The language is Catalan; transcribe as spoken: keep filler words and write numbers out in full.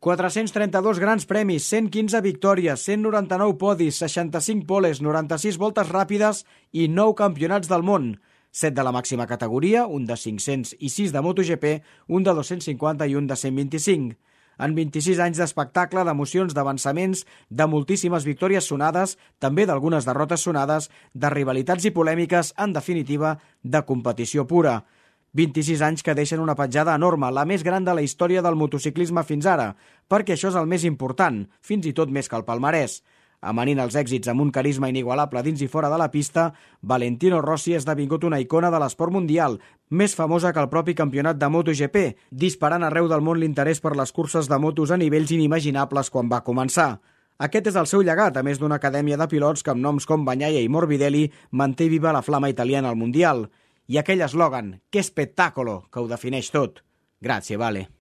quatre-cents trenta-dos grans premis, cent quinze victòries, cent noranta-nou podis, seixanta-cinc poles, noranta-sis voltes ràpides i nou campionats del món. set de la màxima categoria, un de cinc-cents i sis de MotoGP, un de dos-cents cinquanta i un de cent vint-i-cinc. En vint-i-sis anys d'espectacle, d'emocions, d'avançaments, de moltíssimes victòries sonades, també d'algunes derrotes sonades, de rivalitats i polèmiques, en definitiva, de competició pura. vint-i-sis anys que deixen una petjada enorme, la més gran de la història del motociclisme fins ara, perquè això és el més important, fins i tot més que el palmarès. Amanint els èxits amb un carisma inigualable dins i fora de la pista, Valentino Rossi ha esdevingut una icona de l'esport mundial, més famosa que el propi campionat de MotoGP, disparant arreu del món l'interès per les curses de motos a nivells inimaginables quan va començar. Aquest és el seu llegat, a més d'una acadèmia de pilots que amb noms com Bagnaia i Morbidelli manté viva la flama italiana al Mundial. I aquell eslògan, «Que spettacolo!», que ho defineix tot. Grazie, Vale.